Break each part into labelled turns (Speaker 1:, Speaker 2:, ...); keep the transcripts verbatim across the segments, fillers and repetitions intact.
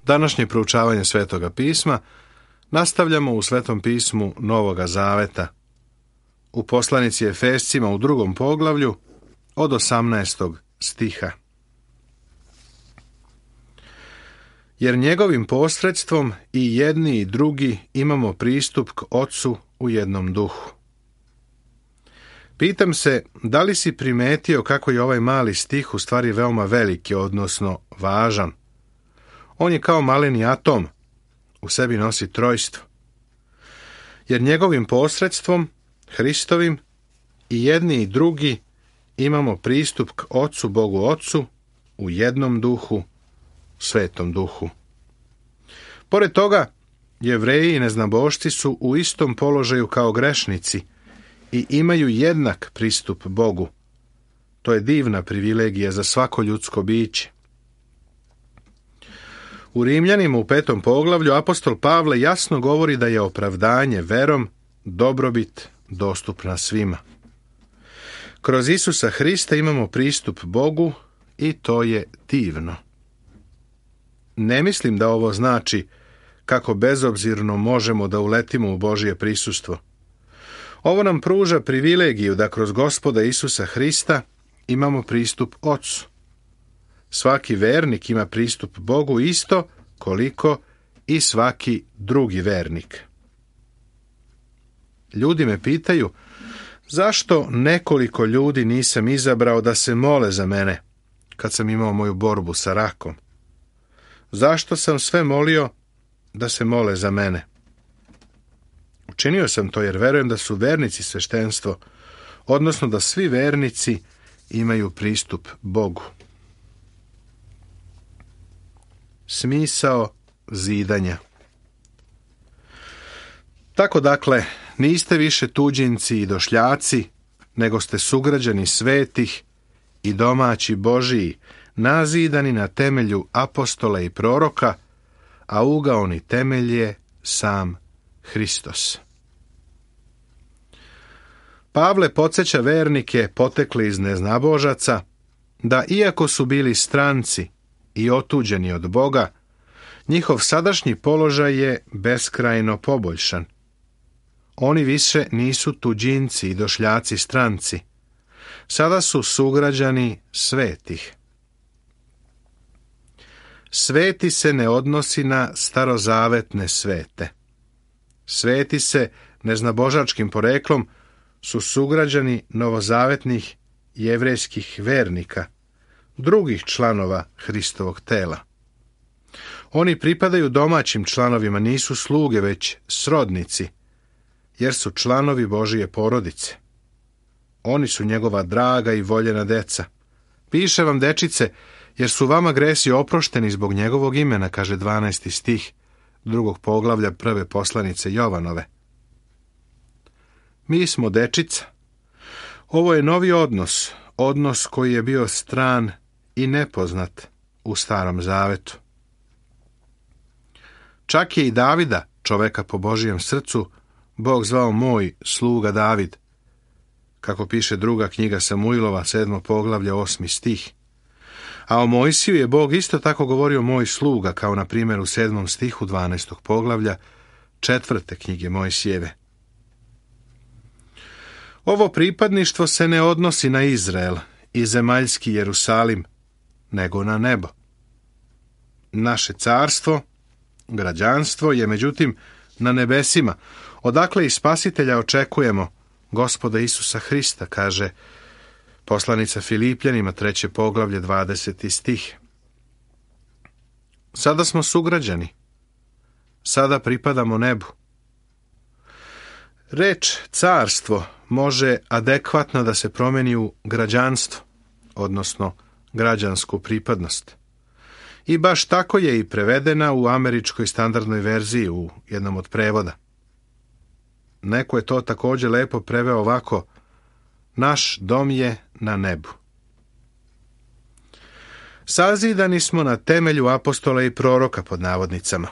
Speaker 1: Današnje proučavanje Svetoga pisma nastavljamo u Svetom pismu Novoga Zaveta, u poslanici Efescima u drugom poglavlju od osamnaestog stiha. Jer njegovim posredstvom i jedni i drugi imamo pristup k Ocu u jednom duhu. Pitam se, da li si primetio kako je ovaj mali stih u stvari veoma veliki, odnosno važan. On je kao maleni atom, u sebi nosi trojstvo. Jer njegovim posredstvom, Hristovim, i jedni i drugi imamo pristup k Ocu, Bogu Ocu, u jednom duhu, Svetom duhu. Pored toga, Jevreji i neznabošci su u istom položaju kao grešnici i imaju jednak pristup Bogu. To je divna privilegija za svako ljudsko biće. U Rimljanima u petom poglavlju apostol Pavle jasno govori da je opravdanje verom dobrobit dostupna svima. Kroz Isusa Hrista imamo pristup Bogu i to je divno. Ne mislim da ovo znači kako bezobzirno možemo da uletimo u Božje prisustvo. Ovo nam pruža privilegiju da kroz Gospoda Isusa Hrista imamo pristup Ocu. Svaki vernik ima pristup Bogu isto koliko i svaki drugi vernik. Ljudi me pitaju, zašto nekoliko ljudi nisam izabrao da se mole za mene kad sam imao moju borbu sa rakom? Zašto sam sve molio da se mole za mene? Učinio sam to jer verujem da su vernici sveštenstvo, odnosno da svi vernici imaju pristup Bogu. Smisao zidanja. Tako dakle, niste više tuđinci i došljaci, nego ste sugrađani svetih i domaći Božiji, nazidani na temelju apostola i proroka, a ugaoni temelj je sam Hristos. Pavle podsjeća vernike potekli iz neznabožaca da iako su bili stranci i otuđeni od Boga, njihov sadašnji položaj je beskrajno poboljšan. Oni više nisu tuđinci i došljaci stranci. Sada su sugrađani svetih. Sveti se ne odnosi na starozavetne svete. Sveti se neznabožačkim poreklom su sugrađani novozavetnih jevrejskih vernika, drugih članova Hristovog tela. Oni pripadaju domaćim članovima, nisu sluge, već srodnici, jer su članovi Božije porodice. Oni su njegova draga i voljena deca. Piše vam, dečice, jer su vama gresi oprošteni zbog njegovog imena, kaže dvanaesti stih drugog poglavlja prve poslanice Jovanove. Mi smo dečica. Ovo je novi odnos, odnos koji je bio stran i nepoznat u Starom Zavetu. Čak je i Davida, čoveka po Božijem srcu, Bog zvao moj sluga David, kako piše druga knjiga Samuilova, sedmo poglavlje, osmi stih. A o Mojsiju je Bog isto tako govorio moj sluga, kao na primjer u sedmom stihu dvanaestog poglavlja, četvrte knjige Mojsijeve. Ovo pripadništvo se ne odnosi na Izrael i zemaljski Jerusalim, nego na nebo. Naše carstvo, građanstvo je međutim na nebesima, odakle i Spasitelja očekujemo, Gospoda Isusa Hrista, kaže poslanica Filipljanima, treće poglavlje, dvadeseti stih. Sada smo sugrađani, sada pripadamo nebu. Reč carstvo može adekvatno da se promeni u građanstvo, odnosno građansku pripadnost. I baš tako je i prevedena u američkoj standardnoj verziji u jednom od prevoda. Neko je to također lepo preveo ovako: naš dom je na nebu. Sazidani smo na temelju apostola i proroka, pod navodnicama.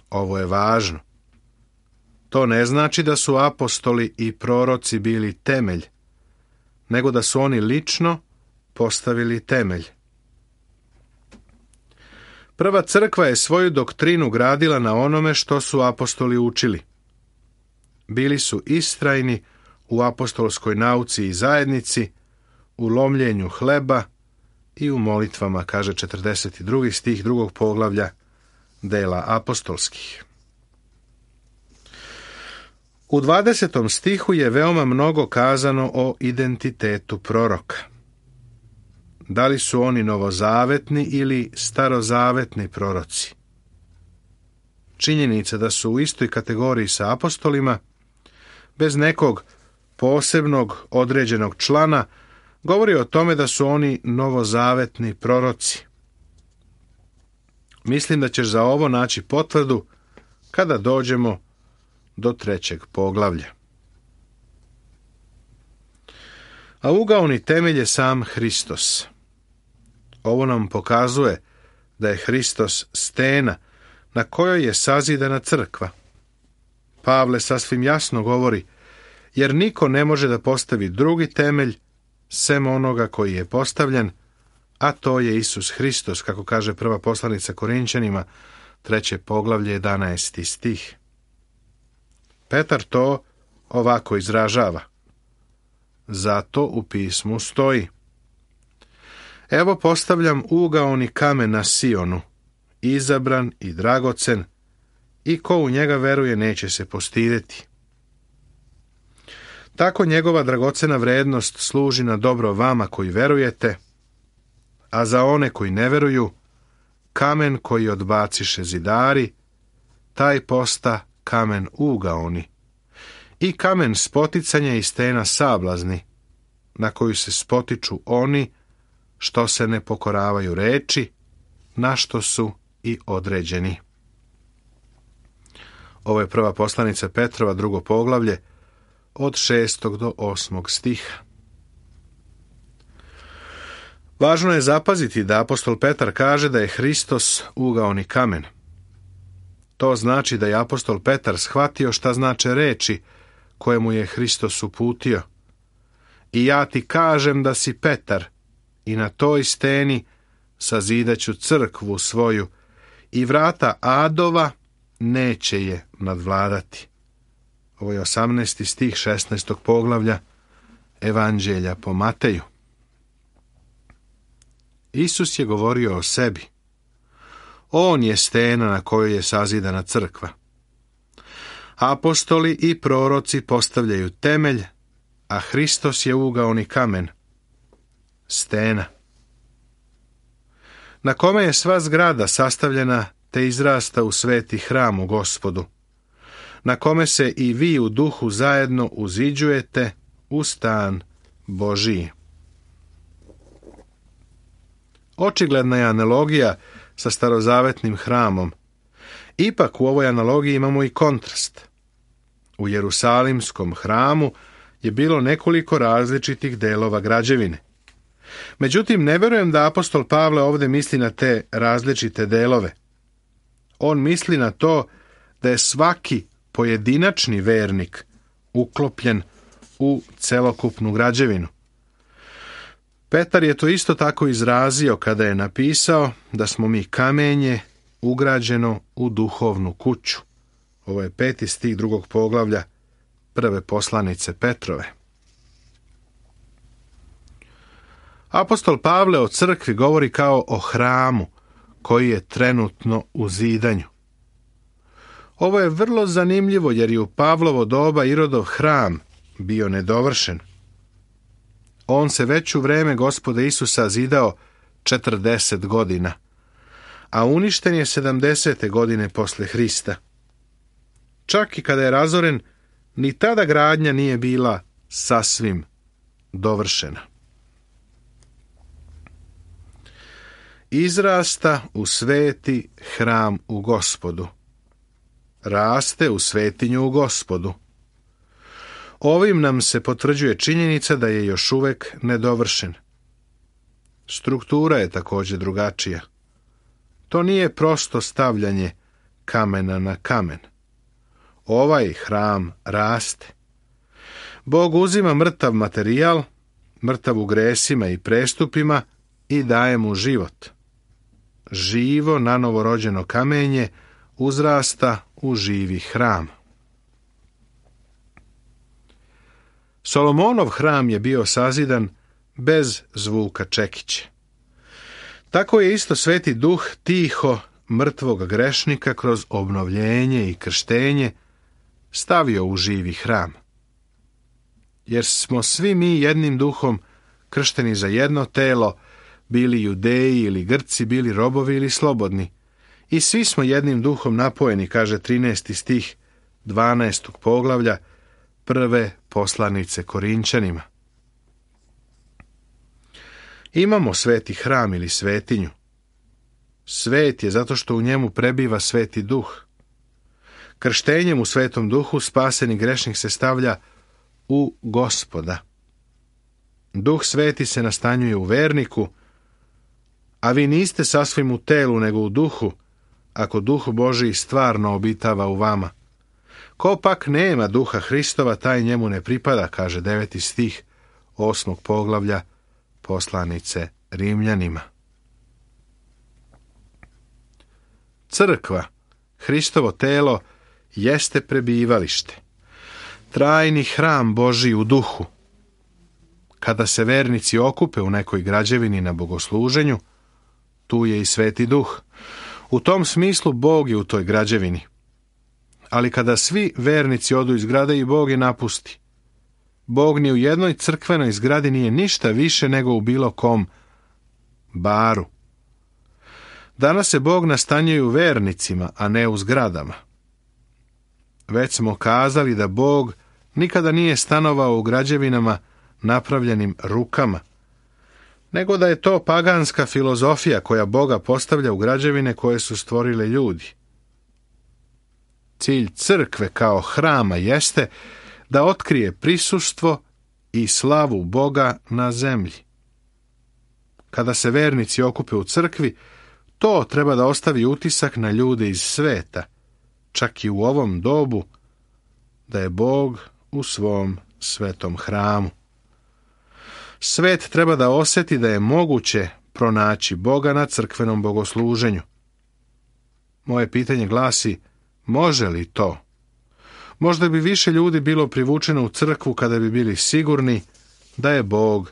Speaker 1: Ovo je važno. To ne znači da su apostoli i proroci bili temelj, nego da su oni lično postavili temelj. Prva crkva je svoju doktrinu gradila na onome što su apostoli učili. Bili su istrajni u apostolskoj nauci i zajednici, u lomljenju hleba i u molitvama, kaže četrdeset drugi stih drugog poglavlja Dela apostolskih. U dvadesetom stihu je veoma mnogo kazano o identitetu proroka. Da li su oni novozavetni ili starozavetni proroci? Činjenica da su u istoj kategoriji sa apostolima, bez nekog posebnog određenog člana, govori o tome da su oni novozavetni proroci. Mislim da ćeš za ovo naći potvrdu kada dođemo do trećeg poglavlja. A ugaoni temelj je sam Hristos. Ovo nam pokazuje da je Hristos stena na kojoj je sazidana crkva. Pavle sasvim jasno govori, jer niko ne može da postavi drugi temelj sem onoga koji je postavljen, a to je Isus Hristos, kako kaže prva poslanica Korinćanima, treće poglavlje, jedanaesti stih. Petar to ovako izražava. Zato u pismu stoji: Evo postavljam ugaoni kamen na Sionu, izabran i dragocen, i ko u njega veruje neće se postideti. Tako njegova dragocena vrednost služi na dobro vama koji verujete, a za one koji ne veruju, kamen koji odbaciše zidari, taj posta kamen ugaoni, i kamen spoticanja i stena sablazni, na koju se spotiču oni što se ne pokoravaju reči, na što su i određeni. Ovo je prva poslanica Petrova, drugo poglavlje, od šestog do osmog stiha. Važno je zapaziti da apostol Petar kaže da je Hristos ugaoni kamen. To znači da je apostol Petar shvatio šta znače reči koje mu je Hristos uputio. I ja ti kažem da si Petar, i na toj steni sazidaću crkvu svoju, i vrata adova neće je nadvladati. Ovo je osamnaesti stih šesnaestog poglavlja Evanđelja po Mateju. Isus je govorio o sebi. On je stena na kojoj je sazidana crkva. Apostoli i proroci postavljaju temelj, a Hristos je ugaoni kamen, stena, na kome je sva zgrada sastavljena te izrasta u sveti hram u Gospodu, na kome se i vi u duhu zajedno uziđujete u stan Božiji. Očigledna je analogija sa starozavetnim hramom. Ipak u ovoj analogiji imamo i kontrast. U Jerusalimskom hramu je bilo nekoliko različitih delova građevine. Međutim, ne vjerujem da apostol Pavle ovdje misli na te različite delove. On misli na to da je svaki pojedinačni vernik uklopljen u celokupnu građevinu. Petar je to isto tako izrazio kada je napisao da smo mi kamenje ugrađeno u duhovnu kuću. Ovo je peti stih drugog poglavlja prve poslanice Petrove. Apostol Pavle o crkvi govori kao o hramu koji je trenutno u zidanju. Ovo je vrlo zanimljivo jer je u Pavlovo doba Irodov hram bio nedovršen. On se već u vreme Gospoda Isusa zidao četrdeset godina, a uništen je sedamdesete godine posle Hrista. Čak i kada je razoren, ni tada gradnja nije bila sasvim dovršena. Izrasta u sveti hram u Gospodu. Raste u svetinju u Gospodu. Ovim nam se potvrđuje činjenica da je još uvek nedovršen. Struktura je također drugačija. To nije prosto stavljanje kamena na kamen. Ovaj hram raste. Bog uzima mrtav materijal, mrtav u gresima i prestupima, i daje mu život. živo nanovo rođeno kamenje uzrasta u živi hram. Solomonov hram je bio sazidan bez zvuka čekića. Tako je isto Sveti Duh tiho mrtvog grešnika kroz obnovljenje i krštenje stavio u živi hram. Jer smo svi mi jednim duhom kršteni za jedno telo, bili Judeji ili Grci, bili robovi ili slobodni. I svi smo jednim duhom napojeni, kaže trinaesti stih dvanaestog poglavlja prve poslanice Korinčanima. Imamo sveti hram ili svetinju. Svet je zato što u njemu prebiva Sveti Duh. Krštenjem u Svetom Duhu spaseni grešnik se stavlja u Gospoda. Duh Sveti se nastanjuje u verniku, a vi niste sasvim u telu nego u duhu, ako Duh Božiji stvarno obitava u vama. Ko pak nema Duha Hristova, taj njemu ne pripada, kaže deveti stih osmog poglavlja poslanice Rimljanima. Crkva, Hristovo telo, jeste prebivalište, trajni hram Božji u duhu. Kada se vernici okupe u nekoj građevini na bogosluženju, tu je i Sveti Duh. U tom smislu Bog je u toj građevini. Ali kada svi vernici odu iz zgrade i Bog je napusti, Bog ni u jednoj crkvenoj zgradi nije ništa više nego u bilo kom baru. Danas se Bog nastanjuje u vernicima, a ne u zgradama. Već smo kazali da Bog nikada nije stanovao u građevinama napravljenim rukama, nego da je to paganska filozofija koja Boga postavlja u građevine koje su stvorile ljudi. Cilj crkve kao hrama jeste da otkrije prisustvo i slavu Boga na zemlji. Kada se vernici okupe u crkvi, to treba da ostavi utisak na ljude iz sveta, čak i u ovom dobu, da je Bog u svom svetom hramu. Svet treba da osjeti da je moguće pronaći Boga na crkvenom bogosluženju. Moje pitanje glasi, može li to? Možda bi više ljudi bilo privučeno u crkvu kada bi bili sigurni da je Bog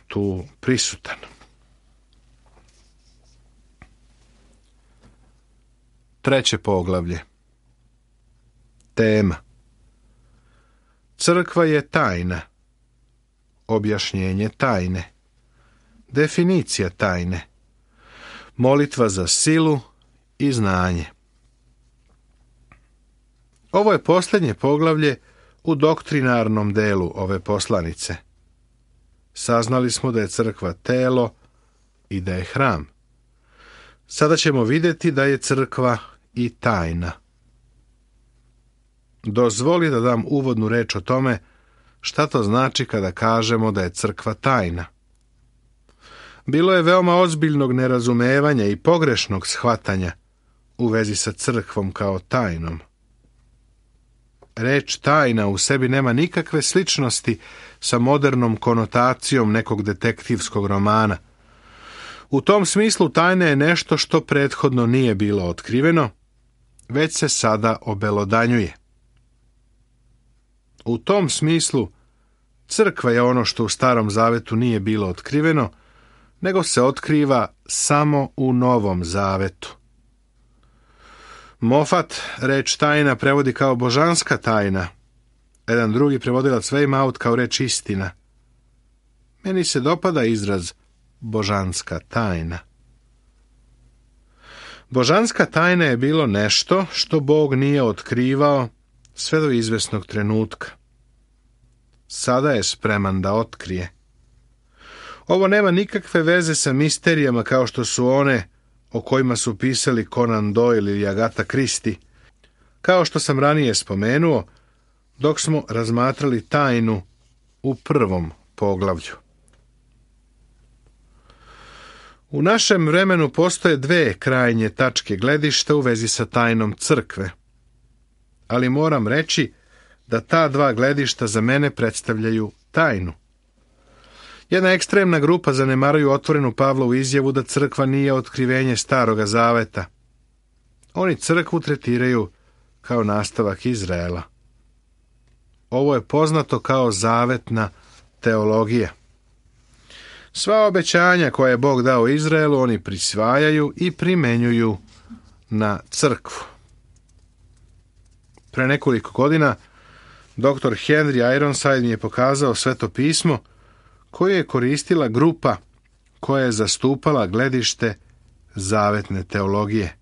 Speaker 1: tu prisutan. Treće poglavlje. Tema. Crkva je tajna. Objašnjenje tajne. Definicija tajne. Molitva za silu i znanje. Ovo je posljednje poglavlje u doktrinarnom delu ove poslanice. Saznali smo da je crkva telo i da je hram. Sada ćemo vidjeti da je crkva i tajna. Dozvoli da dam uvodnu reč o tome šta to znači kada kažemo da je crkva tajna. Bilo je veoma ozbiljnog nerazumevanja i pogrešnog shvatanja u vezi sa crkvom kao tajnom. Reč tajna u sebi nema nikakve sličnosti sa modernom konotacijom nekog detektivskog romana. U tom smislu tajna je nešto što prethodno nije bilo otkriveno, već se sada obelodanjuje. U tom smislu crkva je ono što u Starom Zavetu nije bilo otkriveno, nego se otkriva samo u Novom Zavetu. Moffat reč tajna prevodi kao božanska tajna. Jedan drugi prevodilac Weymouth kao reč istina. Meni se dopada izraz božanska tajna. Božanska tajna je bilo nešto što Bog nije otkrivao sve do izvesnog trenutka. Sada je spreman da otkrije. Ovo nema nikakve veze sa misterijama kao što su one o kojima su pisali Conan Doyle ili Agatha Christie, kao što sam ranije spomenuo, dok smo razmatrali tajnu u prvom poglavlju. U našem vremenu postoje dve krajnje tačke gledišta u vezi sa tajnom crkve, ali moram reći da ta dva gledišta za mene predstavljaju tajnu. Jedna ekstremna grupa zanemaruju otvorenu Pavlovu izjavu da crkva nije otkrivenje Staroga Zaveta. Oni crkvu tretiraju kao nastavak Izraela. Ovo je poznato kao zavetna teologija. Sva obećanja koje je Bog dao Izraelu oni prisvajaju i primenjuju na crkvu. Pre nekoliko godina doktor Henry Ironside mi je pokazao Sveto pismo koje je koristila grupa koja je zastupala gledište zavetne teologije.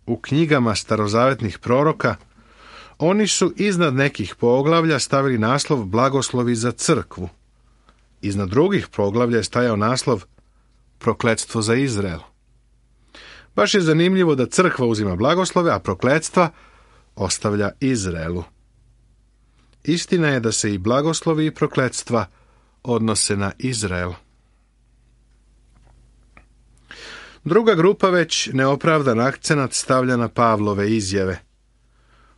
Speaker 1: U knjigama starozavetnih proroka oni su iznad nekih poglavlja stavili naslov Blagoslovi za crkvu. Iznad drugih poglavlja je stajao naslov Prokletstvo za Izrael. Baš je zanimljivo da crkva uzima blagoslove, a prokletstva ostavlja Izraelu. Istina je da se i blagoslovi i prokletstva odnose na Izrael. Druga grupa već neopravdan akcenat stavlja na Pavlove izjave.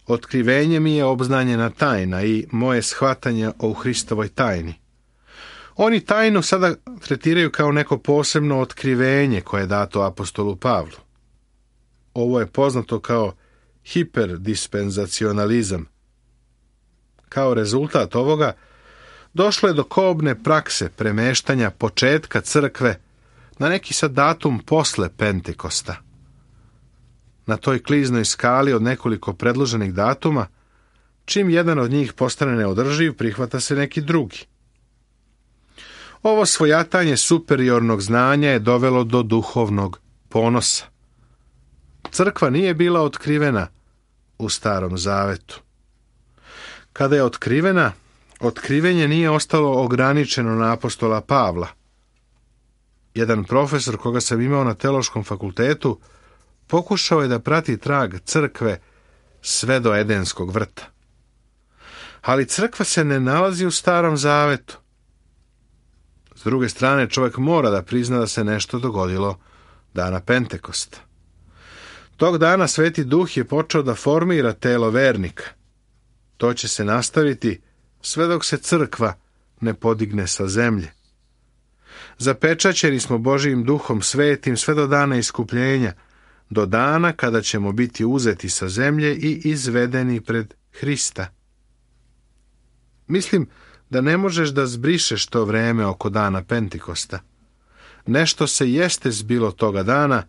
Speaker 1: Otkrivenje mi je obznanjena tajna i moje shvatanje o Hristovoj tajni. Oni tajnu sada tretiraju kao neko posebno otkrivenje koje je dato apostolu Pavlu. Ovo je poznato kao hiperdispenzacionalizam. Kao rezultat ovoga došlo je do kobne prakse premeštanja početka crkve na neki sad datum posle Pentekosta. Na toj kliznoj skali od nekoliko predloženih datuma, čim jedan od njih postane neodrživ, prihvata se neki drugi. Ovo svojatanje superiornog znanja je dovelo do duhovnog ponosa. Crkva nije bila otkrivena u Starom Zavetu. Kada je otkrivena, otkrivenje nije ostalo ograničeno na apostola Pavla. Jedan profesor koga sam imao na teološkom fakultetu pokušao je da prati trag crkve sve do Edenskog vrta. Ali crkva se ne nalazi u Starom Zavetu. S druge strane, čovjek mora da prizna da se nešto dogodilo dana Pentekosta. Tog dana Sveti Duh je počeo da formira telo vernika. To će se nastaviti sve dok se crkva ne podigne sa zemlje. Zapečaćeni smo Božijim Duhom Svetim sve do dana iskupljenja, do dana kada ćemo biti uzeti sa zemlje i izvedeni pred Hrista. Mislim da ne možeš da zbrišeš to vreme oko dana Pentekosta. Nešto se jeste zbilo toga dana,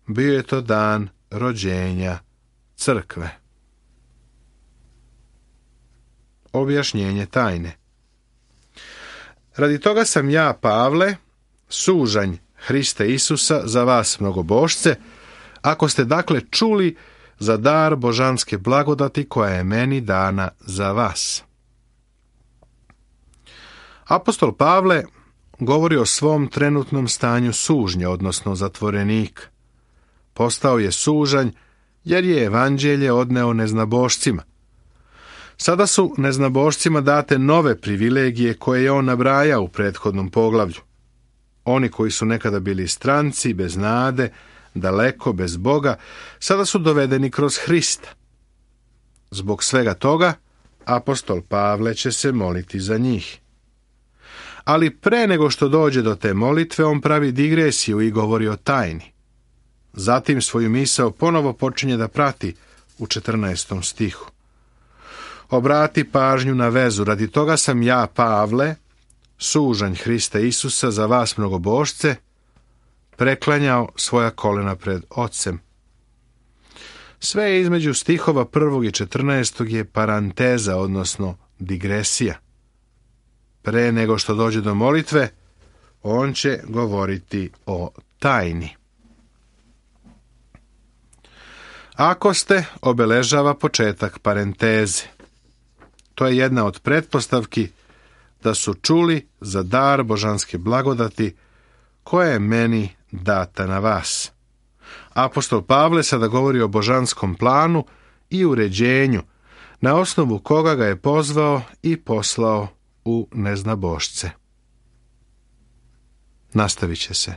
Speaker 1: bio je to dan rođenja crkve. Objašnjenje tajne. Radi toga sam ja, Pavle, sužanj Hrista Isusa za vas mnogobošce, ako ste dakle čuli za dar božanske blagodati koja je meni dana za vas. Apostol Pavle govori o svom trenutnom stanju sužnja, odnosno zatvorenika. Postao je sužanj jer je evanđelje odneo neznabošcima. Sada su neznabošcima date nove privilegije koje je on nabrajao u prethodnom poglavlju. Oni koji su nekada bili stranci, bez nade, daleko, bez Boga, sada su dovedeni kroz Hrista. Zbog svega toga, apostol Pavle će se moliti za njih. Ali pre nego što dođe do te molitve, on pravi digresiju i govori o tajni. Zatim svoju misao ponovo počinje da prati u četrnaestom stihu. Obrati pažnju na vezu, radi toga sam ja, Pavle, sužanj Hrista Isusa za vas mnogobošce, preklanjao svoja kolena pred Ocem. Sve je između stihova prvog i četrnaestog je paranteza, odnosno digresija. Pre nego što dođe do molitve, on će govoriti o tajni. Ako ste, obeležava početak parenteze. To je jedna od pretpostavki da su čuli za dar božanske blagodati koja je meni data na vas. Apostol Pavle sada govori o božanskom planu i uređenju, na osnovu koga ga je pozvao i poslao u neznabošce. Nastavit će se.